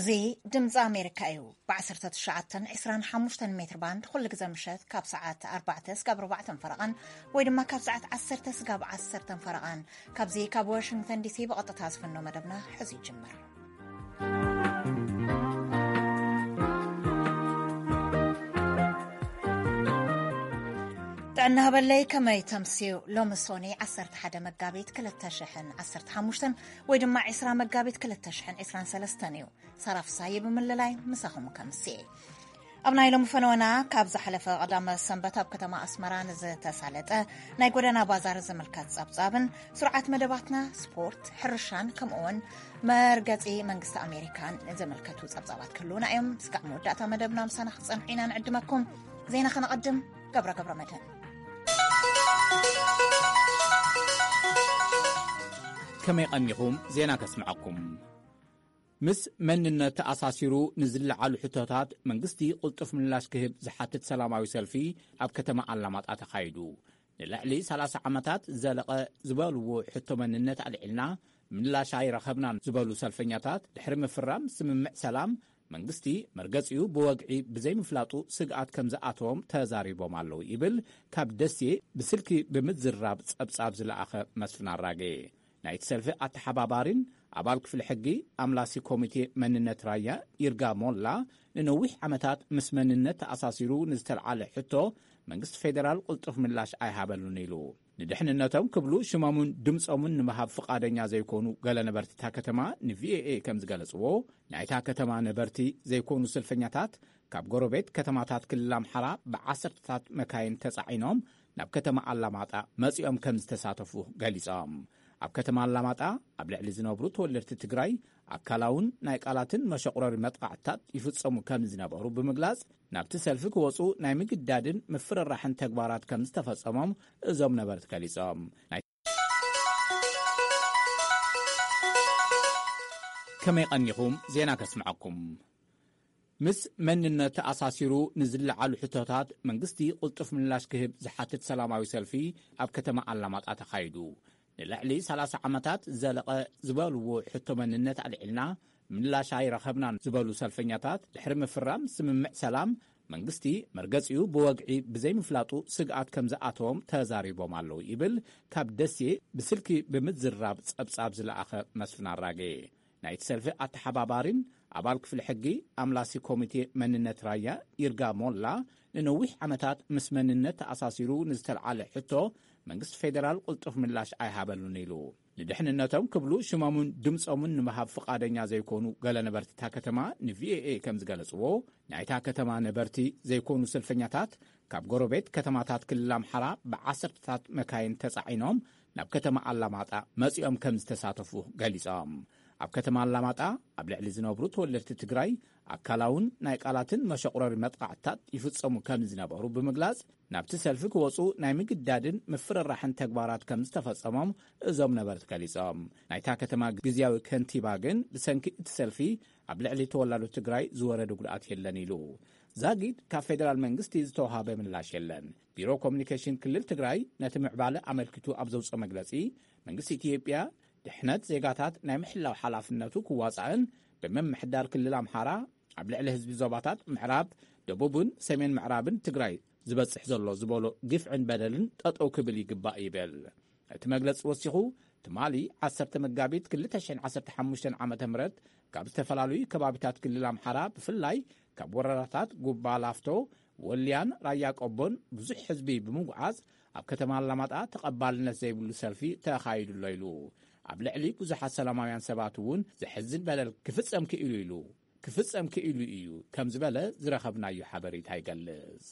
እዚ ድምፂ ኣሜሪካ እዩ። ብ19፣ 25 ሜትር ባንድ ኩሉ ግዜ ምሸት ካብ ሰዓት ኣርባዕተ ስጋብ ኣርባዕተ ፈረቓን ወይ ድማ ካብ ሰዓት ዓሰርተ ስጋብ ዓሰርተ ፈረቓን ካብዚ ካብ ዋሽንግተን ዲሲ ብቐጥታ ዝፍኖ መደብና ሕዚ ይጅምር። ጥዕና ሃበለይ፣ ከመይ ተምስዩ? ሎሚ ሶኒ ዓሰርተ ሓደ መጋቢት ክልተ ሽሕን ዓሰርተ ሓሙሽተን ወይ ድማ ዕስራ መጋቢት ክልተ ሽሕን ዕስራን ሰለስተን እዩ። ሳራ ፍሳየ ብምልላይ ምሳኹም ከምስየ። ኣብ ናይ ሎሚ ፈነወና፣ ካብ ዝሓለፈ ቀዳመ ሰንበት ኣብ ከተማ ኣስመራ ንዝተሳለጠ ናይ ጎደና ባዛር ዝምልከት ጸብጻብን ስርዓት መደባትና ስፖርት፣ ሕርሻን ከምኡውን መርገጺ መንግስቲ ኣሜሪካን ዝምልከቱ ጸብጻባት ክህልዉና እዮም። እስካብ መወዳእታ መደብና ምሳና ክትጸንሑ ኢና ንዕድመኩም። ዜና ከነቐድም። ገብረ ገብረ መድህን። ከመይ ቀኒኹም? ዜና ከስምዐኩም። ምስ መንነት ተኣሳሲሩ ንዝለዓሉ ሕቶታት መንግስቲ ቅልጡፍ ምላሽ ክህብ ዝሓትት ሰላማዊ ሰልፊ ኣብ ከተማ ኣላማጣ ተኻይዱ። ንልዕሊ ሰላሳ ዓመታት ዝዘለቐ ዝበልዎ ሕቶ መንነት ኣልዒልና ምላሽ ኣይረኸብናን ዝበሉ ሰልፈኛታት፣ ድሕሪ ምፍራም ስምምዕ ሰላም መንግስቲ መርገጺኡ ብወግዒ ብዘይምፍላጡ ስግኣት ከም ዝኣተዎም ተዛሪቦም ኣለዉ ይብል ካብ ደሴ ብስልኪ ብምዝራብ ጸብጻብ ዝለኣኸ መስፍን ኣራጌ። ናይቲ ሰልፊ ኣተሓባባሪን ኣባል ክፍሊ ሕጊ ኣምላሲ ኮሚቴ መንነት ራያ ይርጋ ሞላ፣ ንነዊሕ ዓመታት ምስ መንነት ተኣሳሲሩ ንዝተልዓለ ሕቶ መንግስቲ ፌደራል ቅልጡፍ ምላሽ ኣይሃበሉን ኢሉ። ንድሕንነቶም ክብሉ ሽሞምን ድምጾምን ንምሃብ ፍቓደኛ ዘይኮኑ ገለ ነበርቲ እታ ከተማ ንቪኦኤ ከም ዝገለጽዎ፣ ናይታ ከተማ ነበርቲ ዘይኮኑ ሰልፈኛታት ካብ ጎረቤት ከተማታት ክልል ኣምሓራ ብዓሰርተታት መካይን ተጻዒኖም ናብ ከተማ ኣላማጣ መጺኦም ከም ዝተሳተፉ ገሊጾም። ኣብ ከተማ ኣላማጣ ኣብ ልዕሊ ዝነብሩ ተወለድቲ ትግራይ ኣካላውን ናይ ቃላትን መሸቑረሪ መጥቃዕትታት ይፍጸሙ ከም ዝነበሩ ብምግላጽ፣ ናብቲ ሰልፊ ክወጹ ናይ ምግዳድን ምፍርራሕን ተግባራት ከም ዝተፈጸሞም እዞም ነበርቲ ገሊጾም። ናይ ከመይ ቀኒኹም? ዜና ከስምዐኩም። ምስ መንነት ተኣሳሲሩ ንዝለዓሉ ሕቶታት መንግስቲ ቅልጡፍ ምላሽ ክህብ ዝሓትት ሰላማዊ ሰልፊ ኣብ ከተማ ኣላማጣ ተኻይዱ። ንልዕሊ ሰላሳ ዓመታት ዝዘለቐ ዝበልዎ ሕቶ መንነት ኣልዒልና ምላሽ ኣይረኸብናን ዝበሉ ሰልፈኛታት፣ ድሕሪ ምፍራም ስምምዕ ሰላም መንግስቲ መርገጺኡ ብወግዒ ብዘይምፍላጡ ስግኣት ከም ዝኣተዎም ተዛሪቦም ኣለዉ ይብል ካብ ደሴ ብስልኪ ብምዝራብ ጸብጻብ ዝለኣኸ መስፍን ኣራጌ። ናይቲ ሰልፊ ኣተሓባባሪን ኣባል ክፍሊ ሕጊ ኣምላሲ ኮሚቴ መንነት ራያ ይርጋ ሞላ፣ ንነዊሕ ዓመታት ምስ መንነት ተኣሳሲሩ ንዝተልዓለ ሕቶ መንግስቲ ፌደራል ቅልጡፍ ምላሽ ኣይሃበሉን ኢሉ። ንድሕንነቶም ክብሉ ሽሞምን ድምጾምን ንምሃብ ፍቓደኛ ዘይኮኑ ገለ ነበርቲ እታ ከተማ ንቪኦኤ ከም ዝገለጽዎ፣ ናይታ ከተማ ነበርቲ ዘይኮኑ ሰልፈኛታት ካብ ጎረቤት ከተማታት ክልል ኣምሓራ ብዓሰርተታት መካይን ተጻዒኖም ናብ ከተማ ኣላማጣ መጺኦም ከም ዝተሳተፉ ገሊጾም። ኣብ ከተማ ኣላማጣ ኣብ ልዕሊ ዝነብሩ ተወለድቲ ትግራይ ኣካላውን ናይ ቃላትን መሸቑረሪ መጥቃዕትታት ይፍጸሙ ከም ዝነበሩ ብምግላጽ፣ ናብቲ ሰልፊ ክወጹ ናይ ምግዳድን ምፍርራሕን ተግባራት ከም ዝተፈጸሞም እዞም ነበርቲ ገሊጾም። ናይታ ከተማ ግዝያዊ ከንቲባ ግን ብሰንኪ እቲ ሰልፊ ኣብ ልዕሊ ተወላዶ ትግራይ ዝወረደ ጉድኣት የለን ኢሉ። ዛጊድ ካብ ፌደራል መንግስቲ ዝተዋሃበ ምላሽ የለን። ቢሮ ኮሚኒኬሽን ክልል ትግራይ ነቲ ምዕባለ ኣመልኪቱ ኣብ ዘውፅኦ መግለፂ፣ መንግስቲ ኢትዮጵያ ድሕነት ዜጋታት ናይ ምሕላው ሓላፍነቱ ክዋፃእን ብምምሕዳር ክልል ኣምሓራ ኣብ ልዕሊ ህዝቢ ዞባታት ምዕራብ፣ ደቡብን ሰሜን ምዕራብን ትግራይ ዝበፅሕ ዘሎ ዝበሎ ግፍዕን በደልን ጠጠው ክብል ይግባእ ይብል። እቲ መግለፂ ወሲኹ፣ ትማሊ ዓሰርተ መጋቢት ክልተ ሽሕን ዓሰርተ ሓሙሽተን ዓመተ ምህረት ካብ ዝተፈላለዩ ከባቢታት ክልል ኣምሓራ፣ ብፍላይ ካብ ወረዳታት ጉባ ላፍቶ፣ ወልያን ራያ ቆቦን ብዙሕ ህዝቢ ብምጉዓዝ ኣብ ከተማ ኣላማጣ ተቐባልነት ዘይብሉ ሰልፊ ተኻይዱ ኣሎ ኢሉ። ኣብ ልዕሊ ብዙሓት ሰላማውያን ሰባት እውን ዘሕዝን በደል ክፍጸም ክኢሉ ኢሉ፣ ክፍጸም ክኢሉ እዩ ከም ዝበለ ዝረኸብናዮ ሓበሬታ ይገልጽ።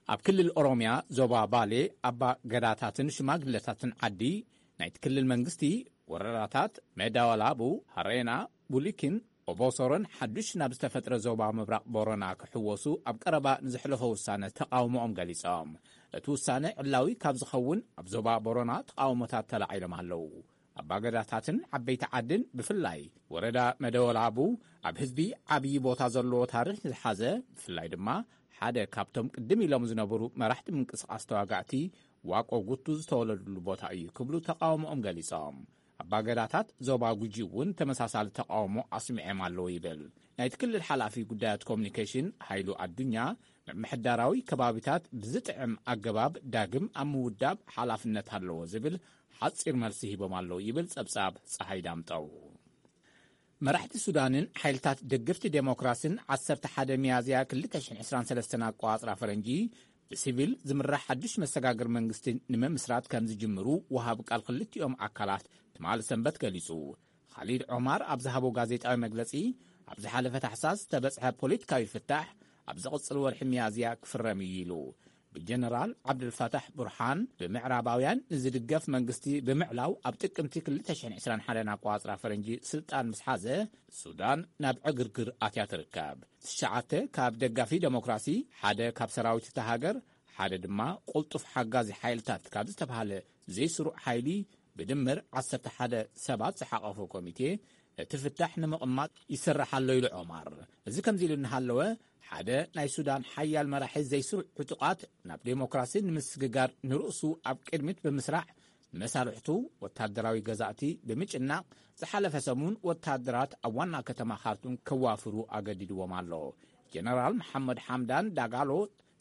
ኣብ ክልል ኦሮምያ ዞባ ባሌ ኣባ ገዳታትን ሽማግለታትን ዓዲ ናይቲ ክልል መንግስቲ ወረዳታት መዳወላቡ፣ ሃሬና፣ ቡሊኪን ኦቦሶሮን ሓዱሽ ናብ ዝተፈጥረ ዞባ ምብራቕ ቦረና ክሕወሱ ኣብ ቀረባ ንዘሕለፎ ውሳነ ተቓውሞኦም ገሊጾም። እቲ ውሳነ ዕላዊ ካብ ዝኸውን ኣብ ዞባ ቦረና ተቓውሞታት ተላዒሎም ኣለዉ። ኣባገዳታትን ዓበይቲ ዓድን ብፍላይ ወረዳ መደወላቡ ኣብ ህዝቢ ዓብዪ ቦታ ዘለዎ ታሪኽ ዝሓዘ፣ ብፍላይ ድማ ሓደ ካብቶም ቅድም ኢሎም ዝነበሩ መራሕቲ ምንቅስቓስ ተዋጋእቲ ዋቆ ጉቱ ዝተወለዱሉ ቦታ እዩ ክብሉ ተቓውሞኦም ገሊጾም። ኣባገዳታት ዞባ ጉጂ እውን ተመሳሳሊ ተቃውሞ ኣስሚዖም ኣለዉ ይብል። ናይቲ ክልል ሓላፊ ጉዳያት ኮሙኒኬሽን ሃይሉ ኣዱኛ፣ ምምሕዳራዊ ከባቢታት ብዝጥዕም ኣገባብ ዳግም ኣብ ምውዳብ ሓላፍነት ኣለዎ ዝብል ሓጺር መልሲ ሂቦም ኣለዉ ይብል ጸብጻብ ጸሃይ ዳምጠው። መራሕቲ ሱዳንን ሓይልታት ደገፍቲ ዴሞክራስን ዓሰርተ ሓደ ሚያዝያ ክልተ ሽሕን ዕስራን ሰለስተን ኣቆጻጽራ ፈረንጂ ብሲቪል ዝምራሕ ሓድሽ መሰጋገሪ መንግስቲ ንምምስራት ከም ዝጅምሩ ወሃቢ ቃል ክልቲኦም ኣካላት ትማሊ ሰንበት ገሊጹ። ካሊድ ዖማር ኣብ ዝሃቦ ጋዜጣዊ መግለጺ፣ ኣብ ዝሓለፈ ታሕሳስ ዝተበጽሐ ፖለቲካዊ ፍታሕ ኣብ ዝቕጽል ወርሒ ሚያዝያ ክፍረም እዩ ኢሉ። ብጀነራል ዓብደልፋታሕ ቡርሃን ብምዕራባውያን ንዝድገፍ መንግስቲ ብምዕላው ኣብ ጥቅምቲ ክልተ ሽሕን ዕስራን ሓደን ኣቆጻጽራ ፈረንጂ ስልጣን ምስ ሓዘ፣ ሱዳን ናብ ዕግርግር ኣትያ ትርከብ። ትሽዓተ ካብ ደጋፊ ዴሞክራሲ፣ ሓደ ካብ ሰራዊት እታ ሃገር፣ ሓደ ድማ ቅልጡፍ ሓጋዚ ሓይልታት ካብ ዝተባህለ ዘይስሩዕ ሓይሊ ብድምር ዓሰርተ ሓደ ሰባት ዝሓቐፈ ኮሚቴ ነቲ ፍታሕ ንምቕማጥ ይሰርሕ ኣሎ ኢሉ ዖማር። እዚ ከምዚ ኢሉ እናሃለወ፣ ሓደ ናይ ሱዳን ሓያል መራሒ ዘይስሩዕ ዕጡቓት ናብ ዴሞክራሲ ንምስግጋር ንርእሱ ኣብ ቅድሚት ብምስራዕ፣ መሳርሕቱ ወታደራዊ ገዛእቲ ብምጭናቕ፣ ዝሓለፈ ሰሙን ወታደራት ኣብ ዋና ከተማ ካርቱም ከዋፍሩ ኣገዲድዎም ኣሎ። ጀነራል መሓመድ ሓምዳን ዳጋሎ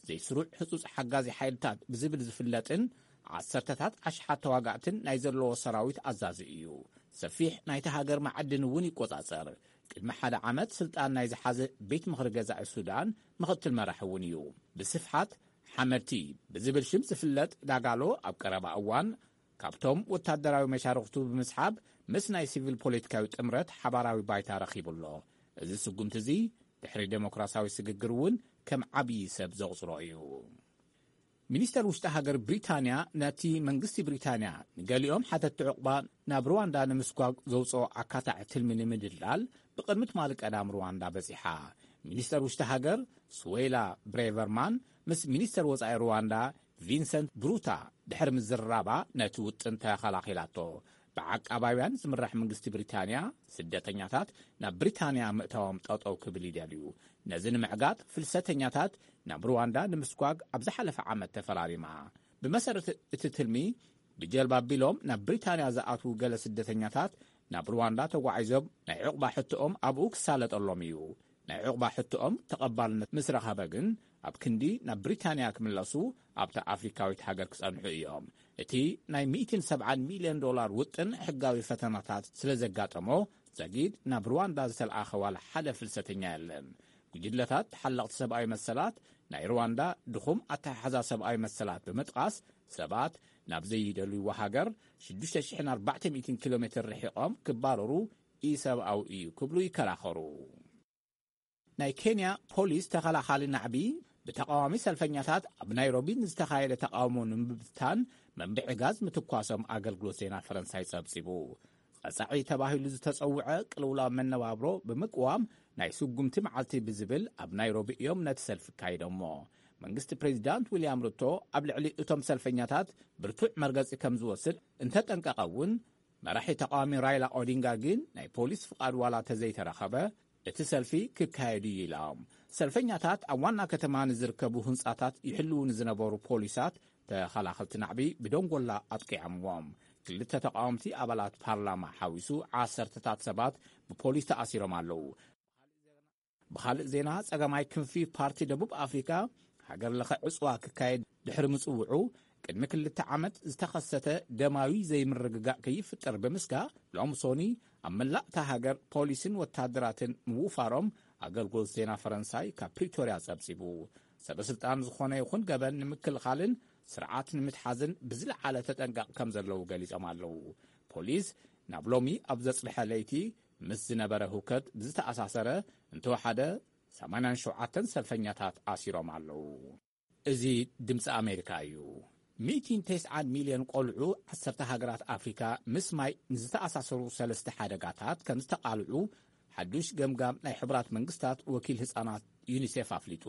ዘይስሩዕ ህጹጽ ሓጋዚ ሓይልታት ብዝብል ዝፍለጥን ዓሰርተታት ኣሽሓት ተዋጋእትን ናይ ዘለዎ ሰራዊት ኣዛዚ እዩ። ሰፊሕ ናይቲ ሃገር መዓድን እውን ይቆጻጸር። ቅድሚ ሓደ ዓመት ስልጣን ናይ ዝሓዘ ቤት ምኽሪ ገዛኢ ሱዳን ምኽትል መራሒ እውን እዩ። ብስፍሓት ሓመድቲ ብዝብል ሽም ዝፍለጥ ዳጋሎ ኣብ ቀረባ እዋን ካብቶም ወታደራዊ መሻርኽቱ ብምስሓብ ምስ ናይ ሲቪል ፖለቲካዊ ጥምረት ሓባራዊ ባይታ ረኺቡ ኣሎ። እዚ ስጉምቲ እዚ ድሕሪ ዴሞክራሲያዊ ስግግር እውን ከም ዓብዪ ሰብ ዘቑጽሮ እዩ። ሚኒስተር ውሽጢ ሃገር ብሪታንያ ነቲ መንግስቲ ብሪታንያ ንገሊኦም ሓተትቲ ዕቑባ ናብ ሩዋንዳ ንምስጓግ ዘውፅኦ ኣካታዒ ትልሚ ንምድልዳል ብቕድሚ ትማሊ ቀዳም ሩዋንዳ በፂሓ። ሚኒስተር ውሽጢ ሃገር ስዌላ ብሬቨርማን ምስ ሚኒስተር ወፃኢ ሩዋንዳ ቪንሰንት ብሩታ ድሕሪ ምዝርራባ ነቲ ውጥን ተኸላኺላቶ። ብዓቃባውያን ዝምራሕ መንግስቲ ብሪታንያ ስደተኛታት ናብ ብሪታንያ ምእታዎም ጠጠው ክብል ይደልዩ። ነዚ ንምዕጋት ፍልሰተኛታት ናብ ሩዋንዳ ንምስጓግ ኣብ ዝሓለፈ ዓመት ተፈራሪማ። ብመሰረት እቲ ትልሚ ብጀልባ ኣቢሎም ናብ ብሪታንያ ዝኣትዉ ገለ ስደተኛታት ናብ ሩዋንዳ ተጓዒዞም ናይ ዕቑባ ሕቶኦም ኣብኡ ክሳለጠሎም እዩ። ናይ ዕቑባ ሕቶኦም ተቐባልነት ምስ ረኸበ ግን ኣብ ክንዲ ናብ ብሪታንያ ክምለሱ ኣብታ ኣፍሪካዊት ሃገር ክጸንሑ እዮም። እቲ ናይ ሚእትን ሰብዓን ሚልዮን ዶላር ውጥን ሕጋዊ ፈተናታት ስለ ዘጋጠሞ ዘጊድ ናብ ሩዋንዳ ዝተለኣኸ ዋላ ሓደ ፍልሰተኛ የለን። ጉጅለታት ተሓለቕቲ ሰብኣዊ መሰላት ናይ ሩዋንዳ ድኹም ኣተሓሕዛ ሰብኣዊ መሰላት ብምጥቓስ ሰባት ናብ ዘይደልይዎ ሃገር ሽዱሽተ ሽሕን ኣርባዕተ ሚእትን ኪሎ ሜትር ርሒቖም ክባረሩ ኢሰብኣዊ እዩ ክብሉ ይከራኸሩ። ናይ ኬንያ ፖሊስ ተኸላኻሊ ናዕቢ ብተቓዋሚ ሰልፈኛታት ኣብ ናይሮቢ ንዝተኻየደ ተቓውሞ ንምብታን መንብዒ ጋዝ ምትኳሶም ኣገልግሎት ዜና ፈረንሳይ ጸብጺቡ። ቀጻዒ ተባሂሉ ዝተጸውዐ ቅልውላው መነባብሮ ብምቅዋም ናይ ስጉምቲ መዓልቲ ብዝብል ኣብ ናይሮቢ እዮም ነቲ ሰልፊ ካይዶሞ። መንግስቲ ፕሬዚዳንት ዊልያም ሩቶ ኣብ ልዕሊ እቶም ሰልፈኛታት ብርቱዕ መርገጺ ከም ዝወስድ እንተጠንቀቐ እውን፣ መራሒ ተቃዋሚ ራይላ ኦዲንጋ ግን ናይ ፖሊስ ፍቓድ ዋላ ተዘይተረኸበ እቲ ሰልፊ ክካየድ እዩ ኢሎም። ሰልፈኛታት ኣብ ዋና ከተማ ንዝርከቡ ህንጻታት ይሕልዉ ንዝነበሩ ፖሊሳት ተኸላኸልቲ ናዕቢ ብደንጎላ ኣጥቂዖምዎም። ክልተ ተቃወምቲ ኣባላት ፓርላማ ሓዊሱ ዓሰርተታት ሰባት ብፖሊስ ተኣሲሮም ኣለዉ። ብኻልእ ዜና፣ ጸጋማይ ክንፊ ፓርቲ ደቡብ ኣፍሪካ ሃገር ለኸ ዕጽዋ ክካየድ ድሕሪ ምጽውዑ፣ ቅድሚ ክልተ ዓመት ዝተኸሰተ ደማዊ ዘይምርግጋእ ከይፍጠር ብምስጋእ፣ ሎሚ ሶኒ ኣብ መላእ እታ ሃገር ፖሊስን ወታደራትን ምውፋሮም ኣገልግሎት ዜና ፈረንሳይ ካብ ፕሪቶርያ ጸብጺቡ። ሰበ ስልጣን ዝኾነ ይኹን ገበን ንምክልኻልን ስርዓት ንምትሓዝን ብዝለዓለ ተጠንቀቕ ከም ዘለዉ ገሊጾም ኣለዉ። ፖሊስ ናብ ሎሚ ኣብ ዘጽብሐ ለይቲ ምስ ዝነበረ ህውከት ብዝተኣሳሰረ እንተወሓደ ሰማንያን ሸውዓተን ሰልፈኛታት ኣሲሮም ኣለዉ። እዚ ድምፂ ኣሜሪካ እዩ። ሚእትን ተስዓን ሚልዮን ቆልዑ ዓሰርተ ሃገራት ኣፍሪካ ምስ ማይ ንዝተኣሳሰሩ ሰለስተ ሓደጋታት ከም ዝተቓልዑ ሓዱሽ ገምጋም ናይ ሕቡራት መንግስታት ወኪል ህፃናት ዩኒሴፍ ኣፍሊጡ።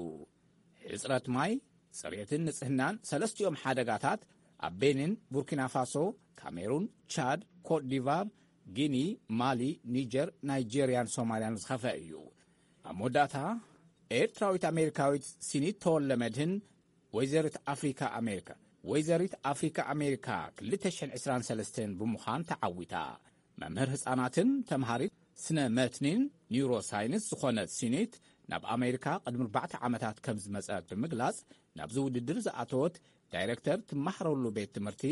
ሕፅረት ማይ፣ ፅሬትን ንፅህናን ሰለስቲኦም ሓደጋታት ኣብ ቤኒን፣ ቡርኪና ፋሶ፣ ካሜሩን፣ ቻድ፣ ኮት ዲቫር፣ ጊኒ፣ ማሊ፣ ኒጀር፣ ናይጄርያን ሶማልያን ዝኸፈ እዩ። ኣብ መወዳእታ፣ ኤርትራዊት ኣሜሪካዊት ሲኒት ተወልደ መድህን ወይዘሪት ኣፍሪካ ኣሜሪካ፣ ወይዘሪት ኣፍሪካ ኣሜሪካ ክልተ ሽሕን ዕስራን ሰለስተን ብምዃን ተዓዊታ። መምህር ህጻናትን ተምሃሪት ስነ መትኒን ኒውሮሳይንስ ዝኾነት ሲኔት ናብ ኣሜሪካ ቅድሚ ኣርባዕተ ዓመታት ከም ዝመጸት ብምግላጽ፣ ናብዚ ውድድር ዝኣተወት ዳይረክተር ትመሃረሉ ቤት ትምህርቲ፣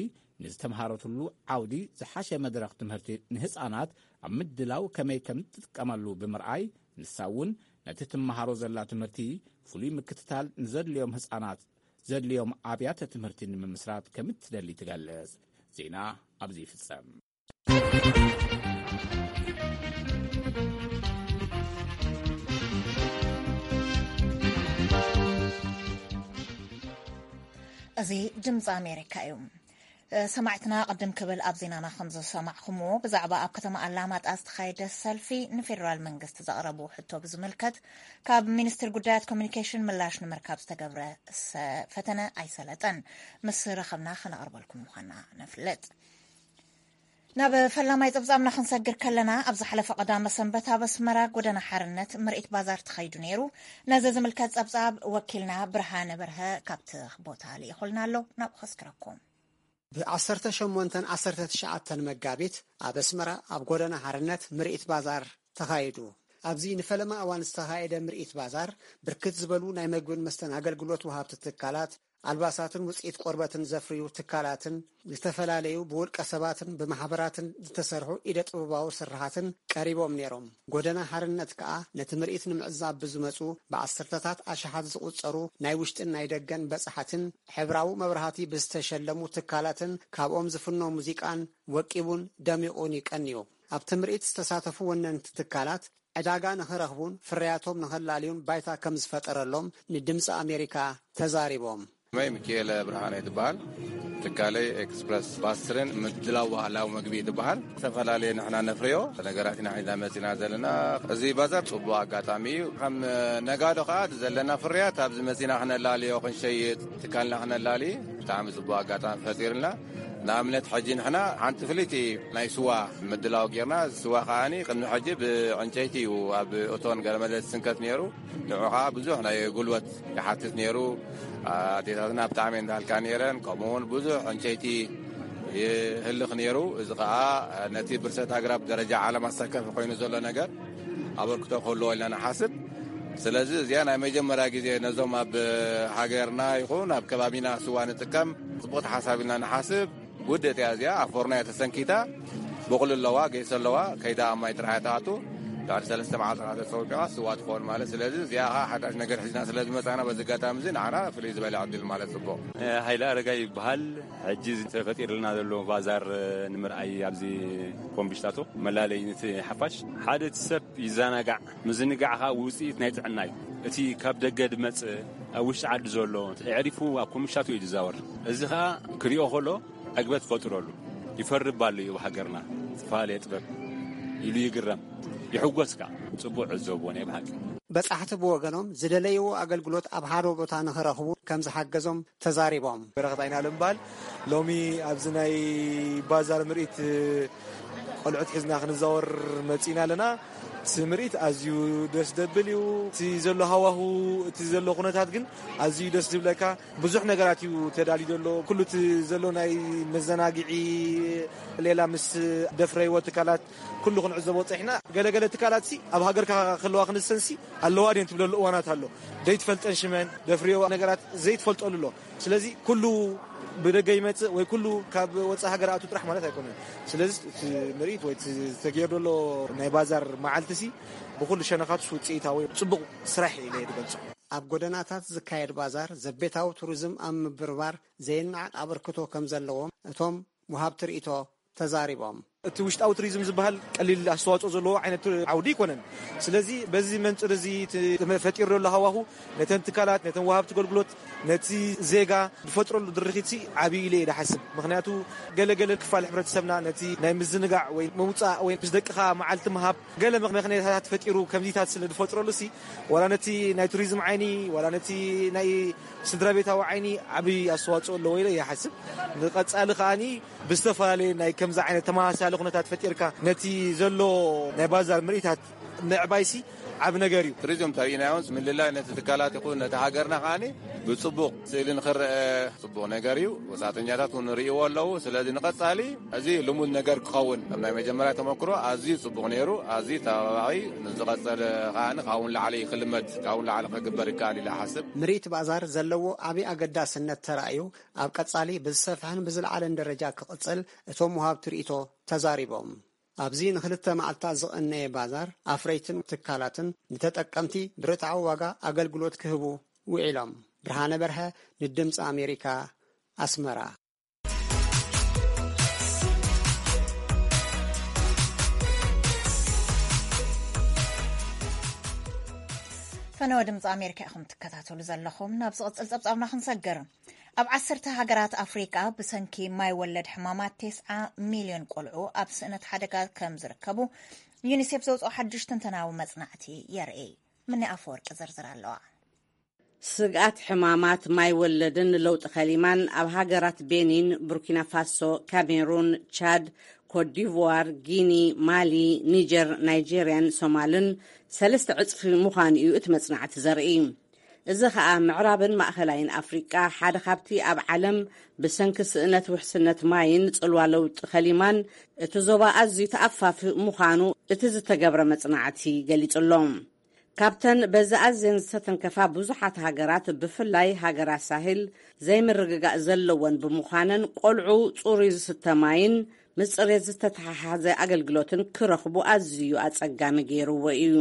ንዝተምሃረትሉ ዓውዲ ዝሓሸ መድረኽ ትምህርቲ ንህጻናት ኣብ ምድላው ከመይ ከም ትጥቀመሉ ብምርኣይ፣ ንሳ እውን ነቲ ትመሃሮ ዘላ ትምህርቲ ፍሉይ ምክትታል ንዘድልዮም ህጻናት ዘድልዮም ኣብያተ ትምህርቲ ንምምስራት ከም እትደሊ ትገልጽ። ዜና ኣብዚ ይፍጸም። እዚ ድምፂ ኣሜሪካ እዩ። ሰማዕትና፣ ቅድም ክብል ኣብ ዜናና ከም ዝሰማዕኹምዎ፣ ብዛዕባ ኣብ ከተማ ኣላማጣ ዝተኻየደ ሰልፊ ንፌደራል መንግስቲ ዘቕረቡ ሕቶ ብዝምልከት ካብ ሚኒስትር ጉዳያት ኮሚኒኬሽን ምላሽ ንምርካብ ዝተገብረ ሰ-፣ ፈተነ ኣይሰለጠን። ምስ ረኸብና ከነቕርበልኩም ምዃንና ነፍልጥ። ናብ ፈላማይ ጸብጻብና ክንሰግር ከለና፣ ኣብ ዝሓለፈ ቀዳመ ሰንበት ኣብ ኣስመራ ጎደና ሓርነት ምርኢት ባዛር ተኻይዱ ነይሩ። ነዚ ዝምልከት ጸብጻብ ወኪልና ብርሃነ በርሀ ካብቲ ቦታ ልኢኹልና ኣሎ። ናብኡ ከስክረኩም። ብ ዓሰርተ ሸሞንተን ዓሰርተ ትሽዓተን መጋቢት ኣብ ኣስመራ ኣብ ጎደና ሓርነት ምርኢት ባዛር ተኻይዱ። ኣብዚ ንፈለማ እዋን ዝተኻየደ ምርኢት ባዛር፣ ብርክት ዝበሉ ናይ መግብን መስተን ኣገልግሎት ወሃብቲ ትካላት፣ ኣልባሳትን ውፅኢት ቆርበትን ዘፍርዩ ትካላትን፣ ዝተፈላለዩ ብውልቀ ሰባትን ብማሕበራትን ዝተሰርሑ ኢደ ጥበባዊ ስርሓትን ቀሪቦም ነይሮም። ጎደና ሓርነት ከኣ ነቲ ምርኢት ንምዕዛብ ብዝመፁ ብዓሰርተታት ኣሽሓት ዝቑጸሩ ናይ ውሽጥን ናይ ደገን በጻሕትን፣ ሕብራዊ መብራህቲ ብዝተሸለሙ ትካላትን ካብኦም ዝፍኖ ሙዚቃን ወቂቡን ደሚቑን እዩ ቀንዩ። ኣብቲ ምርኢት ዝተሳተፉ ወነንቲ ትካላት፣ ዕዳጋ ንኽረኽቡን ፍርያቶም ንኸላልዩን ባይታ ከም ዝፈጠረሎም ንድምፂ ኣሜሪካ ተዛሪቦም። መይ ሚካኤል ብርሃነ ትበሃል። ትካለይ ኤክስፕረስ ፓስትርን ምድላው ባህላዊ መግቢ ትበሃል። ዝተፈላለየ ንሕና ነፍርዮ ነገራት ኢና ሒዝና መፂና ዘለና። እዚ ባዛር ፅቡቅ ኣጋጣሚ እዩ። ከም ነጋዶ ከዓ ዘለና ፍርያት ኣብዚ መፂና ክነላልዮ፣ ክንሸይጥ፣ ትካልና ክነላሊ ብጣዕሚ ፅቡቅ ኣጋጣሚ ፈጢርልና። ንኣብነት ሕጂ ንሕና ሓንቲ ፍልይቲ ናይ ስዋ ምድላው ጌርና። ስዋ ከዓኒ ቅድሚ ሕጂ ብዕንጨይቲ እዩ ኣብ እቶን ገለመለ ዝስንከት ነይሩ። ንዑ ከዓ ብዙሕ ናይ ጉልበት ይሓትት ነይሩ። ኣዴታትና ብጣዕሚ እንዳልካ ነይረን፣ ከምኡ እውን ብዙሕ ዕንጨይቲ ይህልኽ ነይሩ። እዚ ከዓ ነቲ ብርሰት ኣግራብ ደረጃ ዓለም ኣሳካፊ ኮይኑ ዘሎ ነገር ኣበርክቶ ክህልዎ ኢልና ንሓስብ። ስለዚ እዚኣ ናይ መጀመርያ ግዜ ነዞም ኣብ ሃገርና ይኹን ኣብ ከባቢና ስዋ ንጥቀም ጽቡቕ ተሓሳብ ኢልና ንሓስብ። ውድእት እያ እዚኣ፣ ኣብ ፎርኖ እያ ተሰንኪታ፣ ብቑል ኣለዋ፣ ጌሶ ኣለዋ፣ ከይዳ ኣብ ማይ ጥራሕ እያ ትኣቱ። ድሕሪ ሰለስተ መዓልቲ ተጸውቂዋ ስዋ ትኸውን ማለት። ስለዚ እዚኣ ኸዓ ሓዳሽ ነገር ሒዝና ስለ ዝመጻና በዚ ኣጋጣሚ እዚ ንዓና ፍልይ ዝበለ ዕድል ማለት ጽቡቕ። ሃይለ ኣረጋይ ይበሃል። ሕጂ ተፈጢርልና ዘሎ ባዛር ንምርኣይ ኣብዚ ኮምቢሽታቶ መላለይ ነቲ ሓፋሽ ሓደ እቲ ሰብ ይዘናጋዕ። ምዝንጋዕ ኸኣ ውጽኢት ናይ ጥዕና እዩ። እቲ ካብ ደገ ዝመጽእ ኣብ ውሽጢ ዓዲ ዘሎ ኣዕሪፉ ኣብ ኮምቢሽታቶ እዩ ዝዛወር። እዚ ኸኣ ክሪኦ ከሎ ዕግበት ፈጥረሉ። ይፈርብ ኣሎ እዩ ኣብ ሃገርና ዝተፈላለየ ጥበብ ኢሉ ይግረም፣ ይሕጎስ ከኣ። ጽቡቕ ዕዘብዎ ናይ ብሓቂ። በጻሕቲ ብወገኖም ዝደለይዎ ኣገልግሎት ኣብ ሓደ ቦታ ንኽረኽቡ ከም ዝሓገዞም ተዛሪቦም። በረኸት ኣይናለም በሃል። ሎሚ ኣብዚ ናይ ባዛር ምርኢት ቆልዑት ሒዝና ክንዛወር መጺና ኣለና። እቲ ምርኢት ኣዝዩ ደስ ደብል እዩ። እቲ ዘሎ ሃዋሁ፣ እቲ ዘሎ ኩነታት ግን ኣዝዩ ደስ ዝብለካ። ብዙሕ ነገራት እዩ ተዳልዩ ዘሎ። ኩሉ እቲ ዘሎ ናይ መዘናግዒ፣ ሌላ ምስ ደፍረይዎ ትካላት ኩሉ ክንዕዘቦ ጸኒሕና። ገለገለ ትካላት ሲ ኣብ ሃገርካ ከለዋ ክንሰንሲ ኣለዋ ድየን ትብለሉ እዋናት ኣሎ። ዘይትፈልጠን ሽመን ደፍርዮ ነገራት ዘይትፈልጠሉ ኣሎ። ስለዚ ኩሉ ብደገ ይመጽእ ወይ ኩሉ ካብ ወጻኢ ሃገር ኣቱ ጥራሕ ማለት ኣይኮነን። ስለዚ እቲ ምርኢት ወይ እቲ ዝተገየረ ዘሎ ናይ ባዛር መዓልቲ ሲ ብኩሉ ሸነኻቱ ውጽኢታዊ ጽቡቕ ስራሕ ኢለ እየ ዝገልጾ። ኣብ ጎደናታት ዝካየድ ባዛር ዘቤታዊ ቱሪዝም ኣብ ምብርባር ዘይነዓቕ ኣበርክቶ ከም ዘለዎም እቶም ወሃብቲ ርእይቶ ተዛሪቦም። እቲ ውሽጣዊ ቱሪዝም ዝበሃል ቀሊል ኣስተዋጽኦ ዘለዎ ዓይነት ዓውዲ ኣይኮነን። ስለዚ በዚ መንጽር እዚ እቲ ፈጢሩ ዘሎ ሃዋሁ ነተን ትካላት፣ ነተን ወሃብቲ ኣገልግሎት፣ ነቲ ዜጋ ዝፈጥረሉ ድርኺት ሲ ዓብዪ ኢለ እየ ዝሓስብ። ምኽንያቱ ገለገለ ክፋል ሕብረተሰብና ነቲ ናይ ምዝንጋዕ ወይ ምውጻእ ወይ ምስ ደቅኻ መዓልቲ ምሃብ ገለ ምኽ-፣ ምኽንያታት ፈጢሩ ከምዚታት ስለ ዝፈጥረሉ ሲ ዋላ ነቲ ናይ ቱሪዝም ዓይኒ ዋላ ነቲ ናይ ስድራ ቤታዊ ዓይኒ ዓብዪ ኣስተዋጽኦ ኣለዎ ኢለ ይሓስብ። ንቐጻሊ ከኣኒ ብዝተፈላለየ ናይ ከምዚ ዓይነት ተመሳሳሊ ኩነታት ፈጢርካ ነቲ ዘሎ ናይ ባዛር ምርኢታት ምዕባይሲ ዓብ ነገር እዩ። ቱሪዝም ተሪኢናዮን ምልላይ ነቲ ትካላት ይኹን ነቲ ሃገርና ከዓኒ ብጽቡቕ ስእሊ ንኽረአ ጽቡቕ ነገር እዩ። ወጻተኛታት እውን ንርእይዎ ኣለዉ። ስለዚ ንቐጻሊ እዚ ልሙድ ነገር ክኸውን፣ ኣብ ናይ መጀመርያ ተመክሮ ኣዝዩ ጽቡቕ ነይሩ፣ ኣዝዩ ተባባዒ፣ ንዝቐጸለ ከዓኒ ካብውን ላዕሊ ክልመድ፣ ካብውን ላዕሊ ክግበር ይከኣል ኢለ እሓስብ። ምርኢት ባዛር ዘለዎ ዓብዪ ኣገዳስነት ተራእዩ፣ ኣብ ቀጻሊ ብዝሰፍሐን ብዝለዓለን ደረጃ ክቕጽል እቶም ወሃብቲ ርእይቶ ተዛሪቦም። ኣብዚ ንክልተ መዓልታት ዝቐነየ ባዛር ኣፍረይትን ትካላትን ንተጠቀምቲ ብርትዓዊ ዋጋ ኣገልግሎት ክህቡ ውዒሎም። ብርሃነ በርሀ ንድምፂ ኣሜሪካ ኣስመራ። ፈነወ ድምፂ ኣሜሪካ ኢኹም ትከታተሉ ዘለኹም። ናብ ዝቕፅል ፀብፃብና ክንሰግር። ኣብ ዓሰርተ ሃገራት ኣፍሪቃ ብሰንኪ ማይ ወለድ ሕማማት ተስዓ ሚልዮን ቆልዑ ኣብ ስእነት ሓደጋ ከም ዝርከቡ ዩኒሴፍ ዘውፅኦ ሓድሽ ትንተናዊ መፅናዕቲ የርኢ። ምኒ ኣፈወርቂ ዝርዝር ኣለዋ። ስግኣት ሕማማት ማይ ወለድን ለውጢ ከሊማን ኣብ ሃገራት ቤኒን፣ ቡርኪና ፋሶ፣ ካሜሩን፣ ቻድ፣ ኮትዲቯር፣ ጊኒ፣ ማሊ፣ ኒጀር፣ ናይጄርያን ሶማልን ሰለስተ ዕጽፊ ምዃኑ እዩ እቲ መጽናዕቲ ዘርኢ። እዚ ኸኣ ምዕራብን ማእኸላይን ኣፍሪቃ ሓደ ካብቲ ኣብ ዓለም ብሰንኪ ስእነት ውሕስነት ማይን ጽልዋ ለውጢ ከሊማን እቲ ዞባ ኣዝዩ ተኣፋፊ ምዃኑ እቲ ዝተገብረ መጽናዕቲ ገሊጹ ኣሎ። ካብተን በዚ ኣዝየን ዝተተንከፋ ብዙሓት ሃገራት፣ ብፍላይ ሃገራት ሳህል፣ ዘይምርግጋእ ዘለወን ብምዃነን፣ ቆልዑ ጽሩይ ዝስተ ማይን ምስ ጽሬት ዝተተሓሓዘ ኣገልግሎትን ክረኽቡ ኣዝዩ ኣጸጋሚ ገይርዎ እዩ።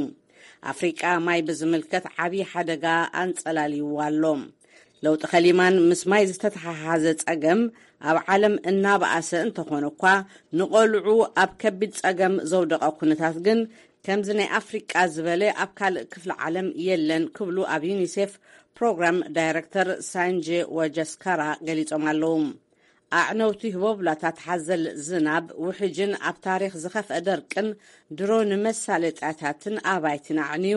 ኣፍሪቃ ማይ ብዝምልከት ዓብዪ ሓደጋ ኣንጸላልይዋ ኣሎ። ለውጢ ከሊማን ምስ ማይ ዝተተሓሓዘ ጸገም ኣብ ዓለም እናበኣሰ እንተኾነ እኳ፣ ንቆልዑ ኣብ ከቢድ ጸገም ዘውደቐ ኩነታት ግን ከምዚ ናይ ኣፍሪቃ ዝበለ ኣብ ካልእ ክፍሊ ዓለም የለን ክብሉ ኣብ ዩኒሴፍ ፕሮግራም ዳይረክተር ሳንጀ ወጀስካራ ገሊጾም ኣለዉ። ኣዕነውቲ ህቦብላታት ሓዘል ዝናብ፣ ውሕጅን ኣብ ታሪኽ ዝኸፍአ ደርቅን ድሮ ንመሳለጥያታትን ኣባይትን ኣዕንዩ፣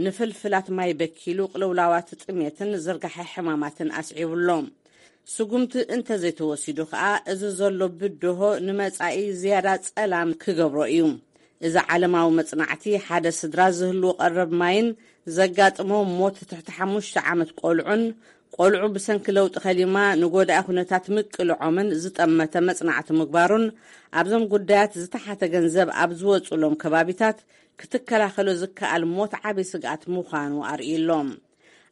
ንፍልፍላት ማይ በኪሉ፣ ቅልውላዋት ጥሜትን ዝርጋሐ ሕማማትን ኣስዒቡ ኣሎ። ስጉምቲ እንተዘይተወሲዱ ከኣ፣ እዚ ዘሎ ብድሆ ንመጻኢ ዝያዳ ጸላም ክገብሮ እዩ። እዚ ዓለማዊ መጽናዕቲ፣ ሓደ ስድራ ዝህልዎ ቀረብ ማይን ዘጋጥሞ ሞት ትሕቲ ሓሙሽተ ዓመት ቆልዑን፣ ቆልዑ ብሰንኪ ለውጢ ከሊማ ንጎዳኢ ኩነታት ምቅልዖምን ዝጠመተ መጽናዕቲ ምግባሩን፣ ኣብዞም ጉዳያት ዝተሓተ ገንዘብ ኣብ ዝወጹሎም ከባቢታት ክትከላኸሎ ዝከኣል ሞት ዓቢ ስግኣት ምዃኑ ኣርእዩ ኣሎ።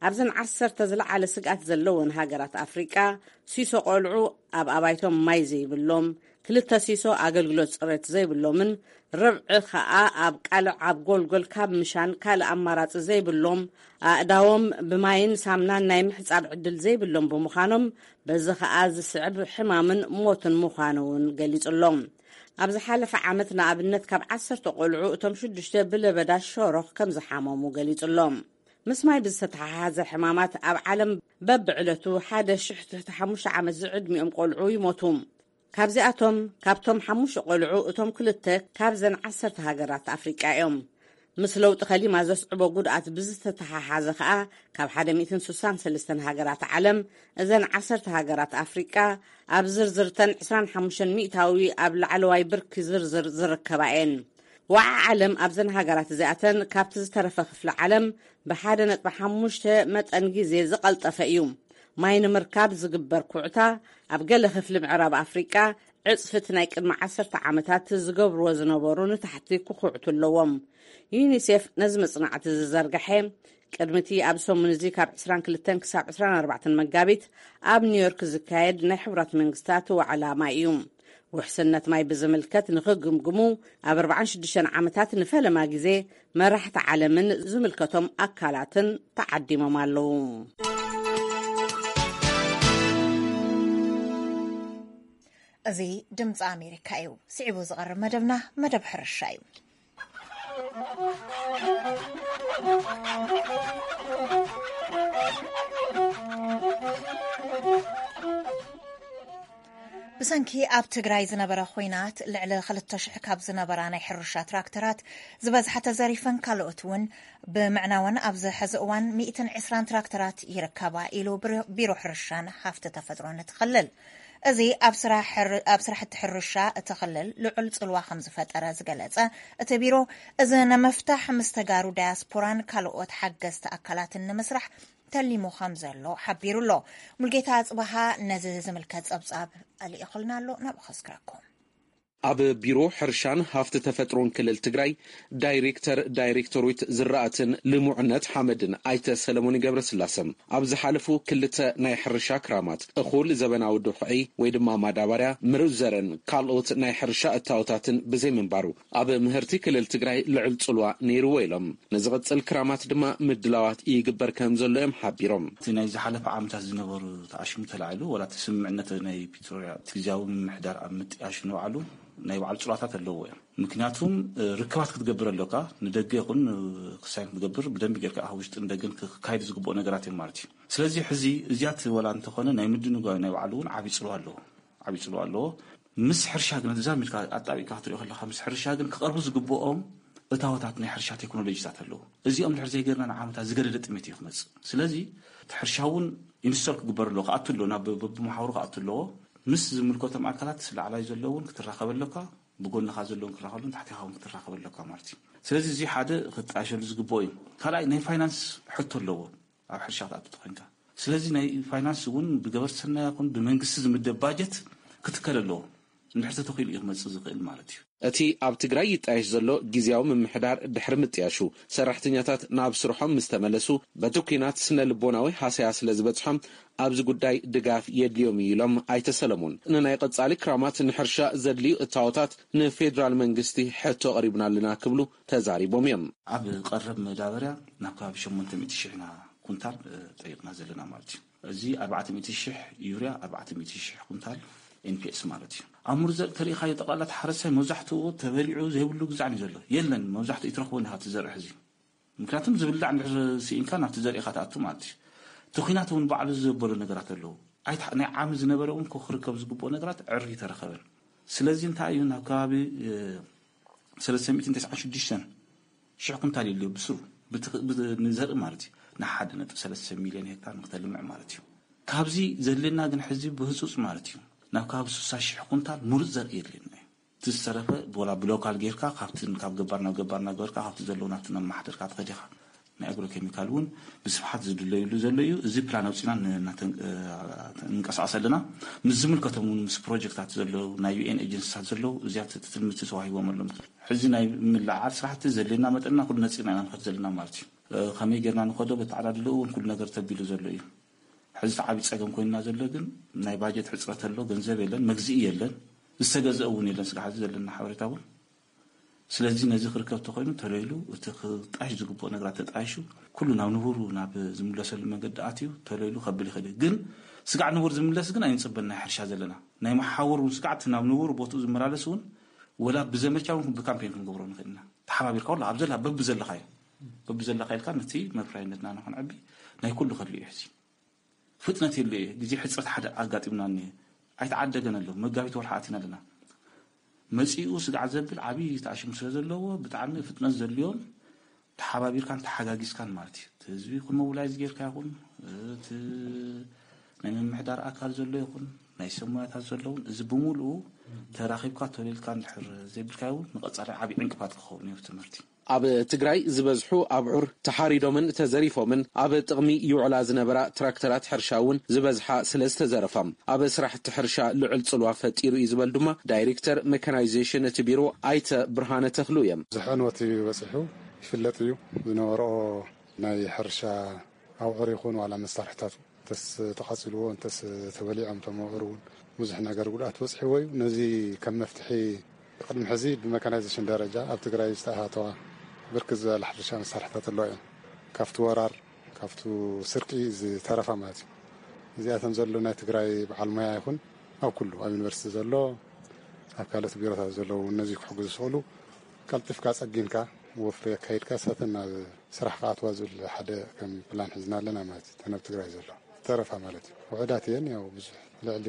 ኣብዘን ዓሰርተ ዝለዓለ ስግኣት ዘለወን ሃገራት ኣፍሪቃ፣ ሲሶ ቆልዑ ኣብ ኣባይቶም ማይ ዘይብሎም፣ ክልተ ሲሶ ኣገልግሎት ጽሬት ዘይብሎምን፣ ርብዒ ከኣ ኣብ ቃልዕ ኣብ ጎልጎል ካብ ምሻን ካልእ ኣማራጺ ዘይብሎም፣ ኣእዳዎም ብማይን ሳምናን ናይ ምሕጻብ ዕድል ዘይብሎም ብምዃኖም፣ በዚ ከኣ ዝስዕብ ሕማምን ሞትን ምዃኑ እውን ገሊጹ ኣሎ። ኣብ ዝሓለፈ ዓመት ንኣብነት ካብ ዓሰርተ ቆልዑ እቶም ሽዱሽተ ብለበዳ ሸሮኽ ከም ዝሓመሙ ገሊጹ ኣሎ። ምስ ማይ ብዝተተሓሓዘ ሕማማት ኣብ ዓለም በብዕለቱ ሓደ ሽሕ ትሕቲ ሓሙሽተ ዓመት ዝዕድሚኦም ቆልዑ ይሞቱ። ካብዚኣቶም፣ ካብቶም ሓሙሽተ ቆልዑ፣ እቶም ክልተ ካብዘን ዓሰርተ ሃገራት ኣፍሪቃ እዮም። ምስ ለውጢ ከሊማ ዘስዕቦ ጉድኣት ብዝተተሓሓዘ ከኣ፣ ካብ ሓደ ሚእትን ስሳን ሰለስተን ሃገራት ዓለም፣ እዘን ዓሰርተ ሃገራት ኣፍሪቃ ኣብ ዝርዝርተን ዕስራን ሓሙሽተን ሚእታዊ ኣብ ላዕለዋይ ብርኪ ዝርዝር ዝርከባ እየን። ወዓ ዓለም ኣብዘን ሃገራት እዚኣተን ካብቲ ዝተረፈ ክፍሊ ዓለም ብሓደ ነጥቢ ሓሙሽተ መጠን ግዜ ዝቐልጠፈ እዩ። ማይ ንምርካብ ዝግበር ኩዕታ ኣብ ገለ ክፍሊ ምዕራብ ኣፍሪቃ ዕጽፊ እቲ ናይ ቅድሚ ዓሰርተ ዓመታት ዝገብርዎ ዝነበሩ ንታሕቲ ክኹዕቱ ኣለዎም። ዩኒሴፍ ነዚ መጽናዕቲ ዝዘርግሐ ቅድሚ እቲ ኣብ ሰሙን እዚ ካብ ዕስራን ክልተን ክሳብ ዕስራን ኣርባዕተን መጋቢት ኣብ ኒውዮርክ ዝካየድ ናይ ሕቡራት መንግስታት ዋዕላ ማይ እዩ። ውሕስነት ማይ ብዝምልከት ንኽግምግሙ ኣብ ኣርባዓን ሽዱሽተን ዓመታት ንፈለማ ግዜ መራሕቲ ዓለምን ዝምልከቶም ኣካላትን ተዓዲሞም ኣለዉ። እዚ ድምፂ ኣሜሪካ እዩ። ስዒቡ ዝቐርብ መደብና መደብ ሕርሻ እዩ። ብሰንኪ ኣብ ትግራይ ዝነበረ ኹናት ልዕሊ ክልተ ሽሕ ካብ ዝነበራ ናይ ሕርሻ ትራክተራት ዝበዝሓ ተዘሪፈን ካልኦት እውን ብምዕናወን ኣብዚ ሕዚ እዋን ሚእትን ዕስራን ትራክተራት ይርከባ ኢሉ ብሮ-፣ ቢሮ ሕርሻን ሃፍቲ ተፈጥሮን እቲ ክልል። እዚ ኣብ ስራሕቲ ሕርሻ እቲ ክልል ልዑል ጽልዋ ከም ዝፈጠረ ዝገለጸ እቲ ቢሮ፣ እዚ ንምፍታሕ ምስ ተጋሩ ዳያስፖራን ካልኦት ሓገዝቲ ኣካላትን ንምስራሕ ተሊሙ ከም ዘሎ ሓቢሩ ኣሎ። ሙልጌታ ኣጽበሃ ነዚ ዝምልከት ጸብጻብ ኣልኢኹልና ኣሎ፣ ናብኡ ከስክረኩም። ኣብ ቢሮ ሕርሻን ሃፍቲ ተፈጥሮን ክልል ትግራይ ዳይሬክተር ዳይሬክቶሬት ዝራእትን ልሙዕነት ሓመድን ኣይተ ሰለሞን ገብረስላሰ፣ ኣብ ዝሓለፉ ክልተ ናይ ሕርሻ ክራማት እኹል ዘበናዊ ድኹዒ ወይ ድማ ማዳበርያ፣ ምሩፅ ዘርን ካልኦት ናይ ሕርሻ እታወታትን ብዘይምንባሩ ኣብ ምህርቲ ክልል ትግራይ ልዑል ፅልዋ ነይርዎ ኢሎም። ንዝቕፅል ክራማት ድማ ምድላዋት ይግበር ከም ዘሎ እዮም ሓቢሮም። እቲ ናይ ዝሓለፈ ዓመታት ዝነበሩ ተኣሽሙ ተላዒሉ፣ ዋላ እቲ ስምምዕነት ናይ ፕሪቶርያ እቲ ግዝያዊ ምምሕዳር ኣብ ምጥያሽ ንባዕሉ ናይ ባዕሉ ፅልዋታት ኣለዎ እዮም። ምክንያቱም ርክባት ክትገብር ኣለካ፣ ንደገ ይኹን ክሳይን ክትገብር ብደንቢ ጌርካ ኣብ ውሽጥን ደገን ክካየድ ዝግብኦ ነገራት እዮም ማለት እዩ። ስለዚ ሕዚ እዚያት ወላ እንተኾነ ናይ ምድንጓይ ናይ ባዕሉ እውን ዓብዪ ፅልዋ ኣለዎ፣ ዓብዪ ፅልዋ ኣለዎ። ምስ ሕርሻ ግን ተዛሚድካ ኣጣቢቅካ ክትሪኦ ከለካ፣ ምስ ሕርሻ ግን ክቐርቡ ዝግብኦም እታወታት ናይ ሕርሻ ቴክኖሎጂታት ኣለዉ። እዚኦም ድሕር ዘይገርና ንዓመታት ዝገደደ ጥሜት እዩ ክመፅእ። ስለዚ እቲ ሕርሻ እውን ኢንስቶል ክግበር ኣለዎ፣ ክኣቱ ኣለዎ፣ ናብ በብመሓውሩ ክኣቱ ኣለዎ። ምስ ዝምልከቶም ኣካላት ላዕላይ ዘሎ እውን ክትራኸብ ኣለካ፣ ብጎንኻ ዘለውን ክራኸብሉን ታሕቲኻ እውን ክትራኸብ ኣለካ ማለት እዩ። ስለዚ እዚ ሓደ ክጣየሸሉ ዝግብኦ እዩ። ካልኣይ ናይ ፋይናንስ ሕቶ ኣለዎ ኣብ ሕርሻ ክትኣቱ ተኮይንካ። ስለዚ ናይ ፋይናንስ እውን ብገበርቲ ሰናይ ይኹን ብመንግስቲ ዝምደብ ባጀት ክትከል ኣለዎ። እንድሕር ተተኺሉ እዩ ክመፅእ ዝኽእል ማለት እዩ። እቲ ኣብ ትግራይ ይጣየሽ ዘሎ ግዝያዊ ምምሕዳር ድሕሪ ምጥያሹ፣ ሰራሕተኛታት ናብ ስርሖም ምስ ተመለሱ፣ በቲ ኲናት ስነ ልቦናዊ ሃሰያ ስለ ዝበፅሖም ኣብዚ ጉዳይ ድጋፍ የድልዮም እዩ ኢሎም ኣይተ ሰለሙን። ንናይ ቀፃሊ ክራማት ንሕርሻ ዘድልዩ እታወታት ንፌዴራል መንግስቲ ሕቶ ኣቕሪብና ኣለና ክብሉ ተዛሪቦም እዮም። ኣብ ቀረብ መዳበርያ ናብ ከባቢ ሸሞንተ ሚእቲ ሽሕ ኢና ኩንታል ጠይቕና ዘለና ማለት እዩ። እዚ ኣርባዕተ ሚእቲ ሽሕ ዩርያ፣ ኣርባዕተ ሚእቲ ሽሕ ኩንታል ኤንፒኤስ ማለት እዩ። ኣብ ሙሩፅ ዘርኢ ተሪኢኻዮ ጠቕላላ እቲ ሓረስታይ መብዛሕትኡ ተበሊዑ ዘይብሉ ግዛዕ እዩ ዘሎ። የለን፣ መብዛሕትኡ ይትረኽቦ እንዲኻ እቲ ዘርኢ ሕዚ። ምክንያቱም ዝብላዕ እንድሕር ስኢንካ ናብቲ ዘርኢ ኢኻ ትኣቱ ማለት እዩ። እቲ ኲናት እውን ባዕሉ ዘበሎ ነገራት ኣለዉ። ኣይተ ናይ ዓሚ ዝነበረ እውን ክርከብ ዝግብኦ ነገራት ዕርፍ ይተረኸበን። ስለዚ እንታይ እዩ ናብ ከባቢ ሰለስተ ሚእትን ተስዓን ሽዱሽተን ሽሕ ኩንታል የድልዮ ብስሩ ንዘርኢ ማለት እዩ። ንሓደ ነጥቢ ሰለስተ ሚልዮን ሄክታር ንክተልምዕ ማለት እዩ። ካብዚ ዘድልየና ግን ሕዚ ብህፁፅ ማለት እዩ ናብ ከባቢ ስሳ ሽሕ ኩንታል ሙሩፅ ዘርኢ የድልየና እዩ። እቲ ዝተረፈ ቦላ ብሎካል ጌርካ ካብቲ ካብ ገባር ናብ ገባር እናገበርካ ካብቲ ዘለዉ ናብቲ ናብ ማሕደርካ ትኸድ ኢኻ። ናይ ኣግሮ ኬሚካል እውን ብስፍሓት ዝድለዩሉ ዘሎ እዩ። እዚ ፕላን ኣውፂና ንንቀሳቀስ ኣለና። ምስ ዝምልከቶም እውን ምስ ፕሮጀክታት ዘለዉ ናይ ዩኤን ኤጀንሲታት ዘለዉ እዚያት ትልምቲ ተዋሂቦም ኣለዉ። ሕዚ ናይ ምልዓል ስራሕቲ ዘድልየና መጠንና ኩሉ ነፂርና ኢና ንኸድ ዘለና ማለት እዩ። ከመይ ጌርና ንኸዶ በተዓዳድልኡ እውን ኩሉ ነገር ተቢሉ ዘሎ እዩ። ሕዚ እቲ ዓብዪ ፀገም ኮይንና ዘሎ ግን ናይ ባጀት ሕፅረት ኣሎ፣ ገንዘብ የለን፣ መግዝኢ የለን፣ ዝተገዘአ እውን የለን። ስጋዕ ሕዚ ዘለና ሓበሬታ እውን ስለዚ ነዚ ክርከብ ተኮይኑ ተለይሉ እቲ ክጣሽ ዝግብኦ ነገራት ተጣይሹ ኩሉ ናብ ንቡሩ ናብ ዝምለሰሉ መንገዲ ኣትዩ ተለይሉ ከብል ይኽእል እዩ። ግን ስጋዕ ንቡር ዝምለስ ግን ኣይንፅበን። ናይ ሕርሻ ዘለና ናይ መሓውር እውን ስጋዕ እቲ ናብ ንቡር ቦትኡ ዝመላለስ እውን ወላ ብዘመቻ እውን ብካምፔን ክንገብሮ ንኽእል ኢና። ተሓባቢርካ ወላ ኣብ ዘላ በብዘለኻዮ በብዘለካ ኢልካ ነቲ መፍረያይነትና ንክንዕቢ ናይ ኩሉ ከድልዩ እዩ። ሕዚ ፍጥነት የለ እዩ። ግዜ ሕፅረት ሓደ ኣጋጢምና እኒሀ። ኣይተዓደገን ኣሎ። መጋቢት ወርሒ ኣቲና ኣለና። መፂኡ ስጋዕ ዘብል ዓብዪ ተኣሽሙ ስለ ዘለዎ ብጣዕሚ ፍጥነት ዘድልዮን ተሓባቢርካን ተሓጋጊዝካን ማለት እዩ። እቲ ህዝቢ ይኹን ሞቢላይዝ ጌርካ ይኹን እቲ ናይ ምምሕዳር ኣካል ዘሎ ይኹን ናይ ሰብ ሞያታት ዘለውን እዚ ብምሉኡ ተራኺብካ ተወሊልካ እንድሕር ዘይብልካዮ እውን ንቐፃሊ ዓብዪ ዕንቅፋት ክኸውን እዩ ትምህርቲ። ኣብ ትግራይ ዝበዝሑ ኣብዑር ተሓሪዶምን ተዘሪፎምን ኣብ ጥቕሚ ይውዕላ ዝነበራ ትራክተራት ሕርሻ እውን ዝበዝሓ ስለ ዝተዘረፋ ኣብ ስራሕቲ ሕርሻ ልዑል ፅልዋ ፈጢሩ እዩ ዝበሉ ድማ ዳይሬክተር ሜካናይዜሽን እቲ ቢሮ ኣይተ ብርሃነ ተኽሉ እዮም። ብዙሕ ዕንወት እዩ በፂሑ ይፍለጥ እዩ። ዝነበርኦ ናይ ሕርሻ ኣብዑር ይኹን ዋላ መሳርሕታቱ እንተስ ተቓፂልዎ እንተስ ተበሊዖም እቶም ኣብዑር እውን ብዙሕ ነገር ጉድኣት በፂሕዎ እዩ። ነዚ ከም መፍትሒ ቅድሚ ሕዚ ብመካናይዜሽን ደረጃ ኣብ ትግራይ ዝተኣታተዋ ብርክት ዝበላ ሕርሻ መሳርሕታት ኣለዋ እየን። ካብቲ ወራር ካብቲ ስርቂ ዝተረፋ ማለት እዩ። እዚኣተን ዘሎ ናይ ትግራይ በዓል ሞያ ይኹን ኣብ ኩሉ ኣብ ዩኒቨርሲቲ ዘሎ ኣብ ካልኦት ቢሮታት ዘለዉ ነዚ ክሕግዙ ዝኽእሉ ቀልጢፍካ ጸጊንካ ወፍሪ ኣካይድካ ሳተን ናብ ስራሕ ክኣትዋ ዝብል ሓደ ከም ፕላን ሒዝና ኣለና ማለት እዩ። ተን ኣብ ትግራይ ዘሎ ዝተረፋ ማለት እዩ። ውሑዳት እየን ያው ብዙሕ ልዕሊ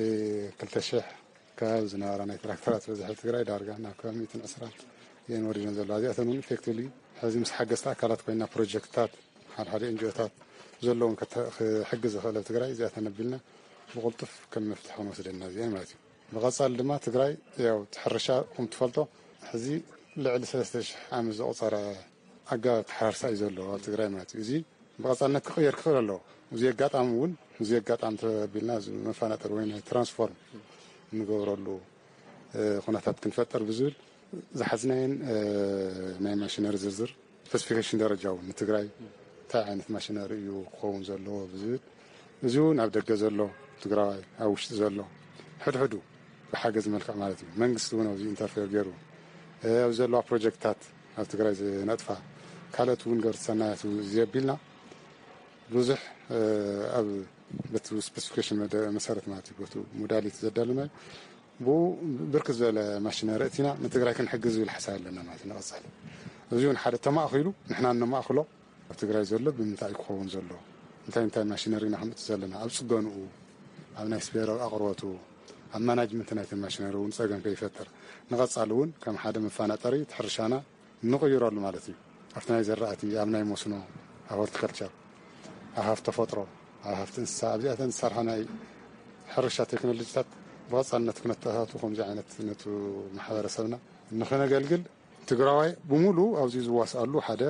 ክልተ ሽሕ ከባቢ ዝነበራ ናይ ትራክተራት በዝሒ ትግራይ ዳርጋ ናብ ከባቢ ሚእትን ዕስራን እየን ወሪደን ዘለዋ። እዚኣተን እውን ኢፌክቲቭሊ ሕዚ ምስ ሓገዝቲ ኣካላት ኮይና ፕሮጀክትታት ሓድሓደ ኤንጂኦታት ዘለዎም ክሕግዝ ዝኽእል ኣብ ትግራይ እዚኣተን ኣቢልና ብቕልጡፍ ከም መፍትሒ ክንወስደና እዚአን ማለት እዩ። ብቐጻሊ ድማ ትግራይ ያው እቲ ሕርሻ ከም ትፈልጦ ሕዚ ልዕሊ ሰለስተ ሽሕ ዓመት ዘቑጸረ ኣገባብ ተሓራርሳ እዩ ዘሎ ኣብ ትግራይ ማለት እዩ። እዚ ብቐጻልነት ክቕየር ክኽእል ኣለዎ። እዚ ኣጋጣሚ እውን እዚ ኣጋጣሚ ተቢልና እዚ መፈናጠር ወይ ናይ ትራንስፎርም እንገብረሉ ኩነታት ክንፈጥር ብዝብል ዝሓዝናየን ናይ ማሽነሪ ዝርዝር ስፔሲፊኬሽን ደረጃ እውን ንትግራይ እንታይ ዓይነት ማሽነሪ እዩ ክኸውን ዘለዎ ብዝብል እዚ እውን ኣብ ደገ ዘሎ ትግራዋይ ኣብ ውሽጢ ዘሎ ሕድሕዱ ብሓገዝ መልክዕ ማለት እዩ። መንግስቲ እውን ኣብዚ ኢንተርፌር ገይሩ ኣብ ዘለዋ ፕሮጀክትታት ኣብ ትግራይ ዝነጥፋ ካልኦት እውን ገበርቲ ሰናያት ዘቢልና ብዙሕ ኣብ በቲ ስፔሲፊኬሽን መሰረት ማለት እዩ በቲ ሞዳሊቲ ዘዳለናዩ ብኡ ብርክት ዝበለ ማሽነሪ እቲና ንትግራይ ክንሕግዝ ዝብል ሓሳብ ኣለና ማለት ንቐፃሊ እዚ እውን ሓደ ተማእኪሉ ንሕና ነማእክሎ ኣብ ትግራይ ዘሎ ብምንታይ ክኸውን ዘሎ እንታይ እንታይ ማሽነሪ ኢና ከምፅእ ዘለና ኣብ ፅገንኡ ኣብ ናይ ስፔር ኣቅርቦቱ ኣብ ማናጅመንት ናይተን ማሽነሪ እውን ፀገም ከይፈጥር ንቐፃሊ እውን ከም ሓደ መፋናጠሪ እቲ ሕርሻና ንቕይረሉ ማለት እዩ። ኣብቲ ናይ ዘራእቲ፣ ኣብ ናይ መስኖ፣ ኣብ ሆርቲካልቸር፣ ኣብ ሃፍቲ ተፈጥሮ፣ ኣብ ሃፍቲ እንስሳ ኣብዚኣተን ዝሰርሓ ናይ ሕርሻ ቴክኖሎጂታት ብቐፃልነት ክነተኣታቱ ከምዚ ዓይነት ነቱ ማሕበረሰብና ንክነገልግል ትግራዋይ ብምሉእ ኣብዚ ዝዋስኣሉ ሓደ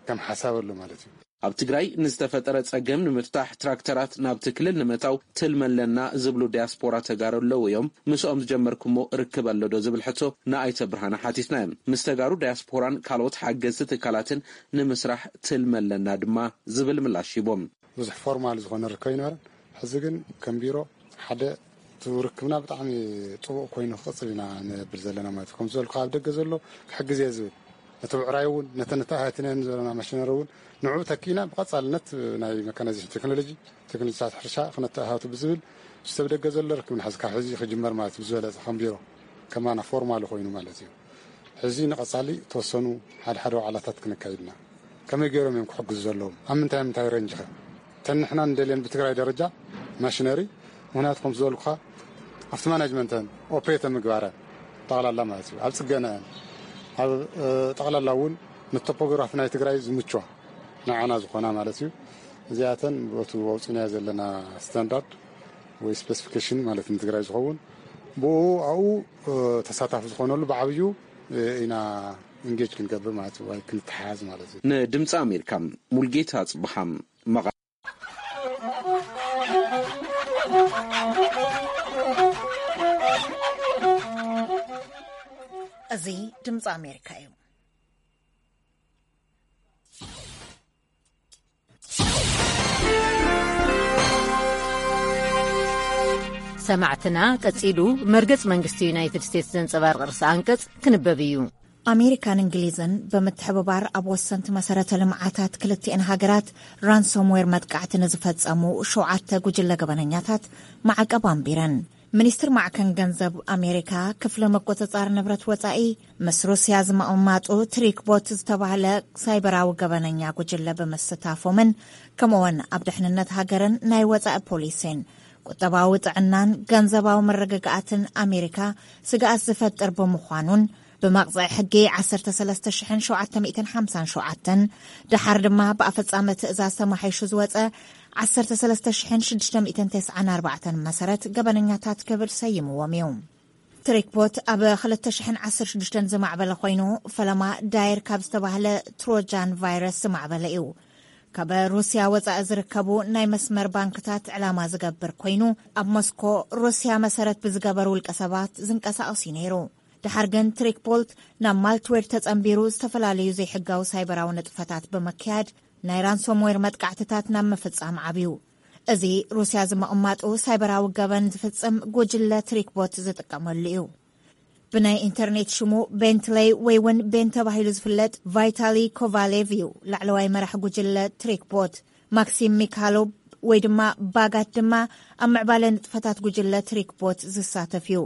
ከም ሓሳብ ኣሎ ማለት እዩ። ኣብ ትግራይ ንዝተፈጠረ ፀገም ንምፍታሕ ትራክተራት ናብቲ ክልል ንምእታው ትልሚ ኣለና ዝብሉ ዲያስፖራ ተጋሩ ኣለዉ እዮም። ምስኦም ዝጀመርኩሞ ርክብ ኣሎ ዶ ዝብል ሕቶ ንኣይተ ብርሃነ ሓቲትናዮም። ምስ ተጋሩ ዲያስፖራን ካልኦት ሓገዝቲ ትካላትን ንምስራሕ ትልሚ ኣለና ድማ ዝብል ምላሽ ሂቦም። ብዙሕ ፎርማል ዝኾነ ርክብ ኣይነበረን። ሕዚ ግን ከም ቢሮ ሓደ እቲ ርክብና ብጣዕሚ ፅቡቕ ኮይኑ ክቕፅል ኢና ንብል ዘለና ማለት እዩ። ከም ዝበልኩ ኣብ ደገ ዘሎ ክሕግዝ እየ ዝብል ነቲ ብዕራይ እውን ነተን ነተኣታቲናየን ዘለና ማሽነሪ እውን ንዕኡ ተኪእና ብቐፃልነት ናይ መካናይዜሽን ቴክኖሎጂ ቴክኖሎጂታት ሕርሻ ክነተኣታቱ ብዝብል እቲ ኣብ ደገ ዘሎ ርክብ ንሓዚ ካብ ሕዚ ክጅመር ማለት እዩ ብዝበለፀ ከም ቢሮ ከማና ፎርማል ኮይኑ ማለት እዩ። ሕዚ ንቐፃሊ ተወሰኑ ሓደ ሓደ ዋዕላታት ክነካይድ ኢና። ከመይ ገይሮም እዮም ክሕግዙ ዘለዎም ኣብ ምንታይ ምንታይ ረንጅ ከ እተን ንሕና ንደልየን ብትግራይ ደረጃ ማሽነሪ ምክንያቱ ከም ዝበልኩኻ ኣብቲ ማናጅመንተን ኦፕሬተ ምግባረን ጠቕላላ ማለት እዩ ኣብ ፅገነአን ኣብ ጠቕላላ እውን ንቶፖግራፊ ናይ ትግራይ ዝምችዋ ንዓና ዝኾና ማለት እዩ። እዚኣተን በቱ ኣውፂናዮ ዘለና ስታንዳርድ ወይ ስፔሲፊኬሽን ማለት ንትግራይ ዝኸውን ብኡ ኣብኡ ተሳታፊ ዝኾነሉ ብዓብዩ ኢና ኢንጌጅ ክንገብር ማለት እዩ ወይ ክንተሓዝ ማለት እዩ። ንድምፂ ኣሜሪካ ሙልጌታ ኣፅብሃ መቐ እዚ ድምፂ ኣሜሪካ እዩ። ሰማዕትና ቀጺሉ መርገጽ መንግስቲ ዩናይትድ ስቴትስ ዘንጸባርቕ ርእሰ ኣንቀጽ ክንበብ እዩ። ኣሜሪካን እንግሊዝን ብምትሕብባር ኣብ ወሰንቲ መሰረተ ልምዓታት ክልቲኤን ሃገራት ራንሶምዌር መጥቃዕቲ ንዝፈጸሙ ሸውዓተ ጉጅለ ገበነኛታት ማዕቀብ ኣንቢረን። ሚኒስትር ማዕከን ገንዘብ ኣሜሪካ ክፍሊ ምቁጽጻር ንብረት ወጻኢ ምስ ሩስያ ዝምቕማጡ ትሪክቦት ዝተባህለ ሳይበራዊ ገበነኛ ጉጅለ ብምስታፎምን ከምኡውን ኣብ ድሕንነት ሃገርን ናይ ወጻኢ ፖሊሲን ቁጠባዊ ጥዕናን ገንዘባዊ መረጋጋኣትን ኣሜሪካ ስግኣት ዝፈጥር ብምዃኑን ብመቕጽዒ ሕጊ ዓሰርተ ሰለስተ ሽሕን ሸውዓተ ሚእትን ሓምሳን ሸውዓተን ደሓር ድማ ብኣፈጻሚ ትእዛዝ ተማሒሹ ዝወጸ ዓሰርተ ሰለስተ ሽሕን ሽዱሽተ ሚእትን ተስዓን ኣርባዕተን መሰረት ገበነኛታት ክብል ሰይምዎም እዩ። ትሪክቦት ኣብ ክልተ ሽሕን ዓሰርተ ሽዱሽተን ዝማዕበለ ኮይኑ ፈለማ ዳየር ካብ ዝተባህለ ትሮጃን ቫይረስ ዝማዕበለ እዩ። ካብ ሩስያ ወጻኢ ዝርከቡ ናይ መስመር ባንክታት ዕላማ ዝገብር ኮይኑ ኣብ ሞስኮ ሩስያ መሰረት ብዝገበሩ ውልቀ ሰባት ዝንቀሳቐስ እዩ ነይሩ። ድሓር ግን ትሪክቦት ናብ ማልትዌር ተጸንቢሩ ዝተፈላለዩ ዘይሕጋዊ ሳይበራዊ ንጥፈታት ብምክያድ ናይ ራንሶምዌር መጥቃዕትታት ናብ ምፍጻም ዓብዩ። እዚ ሩስያ ዝምቕማጡ ሳይበራዊ ገበን ዝፍጽም ጉጅለ ትሪክቦት ዝጥቀመሉ እዩ። ብናይ ኢንተርኔት ሽሙ ቤንትለይ ወይ እውን ቤን ተባሂሉ ዝፍለጥ ቫይታሊ ኮቫሌቭ እዩ ላዕለዋይ መራሕ ጉጅለ ትሪክቦት። ማክሲም ሚካሎቭ ወይ ድማ ባጋት ድማ ኣብ ምዕባለ ንጥፈታት ጉጅለ ትሪክቦት ዝሳተፍ እዩ።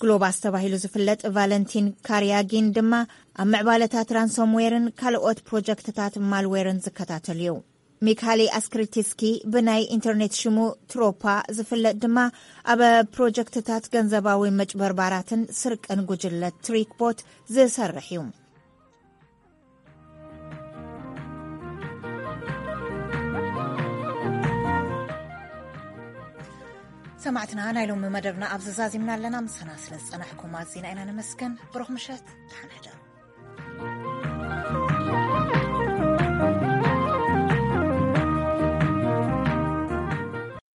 ግሎባስ ተባሂሉ ዝፍለጥ ቫለንቲን ካርያጊን ድማ ኣብ ምዕባለታት ራንሶምዌርን ካልኦት ፕሮጀክትታት ማልዌርን ዝከታተል እዩ። ሚካሊ ኣስክሪቲስኪ ብናይ ኢንተርኔት ሽሙ ትሮፓ ዝፍለጥ ድማ ኣብ ፕሮጀክትታት ገንዘባዊ መጭበርባራትን ስርቅን ጉጅለ ትሪክቦት ዝሰርሕ እዩ። ሰማዕትና፣ ናይ ሎሚ መደብና ኣብ ዘዛዚምና ኣለና። ምሳና ስለ ዝጸናሕኩም ኣዚና ኢና ነመስግን። ብሩኽ ምሸት፣ ደሓን ሕደሩ።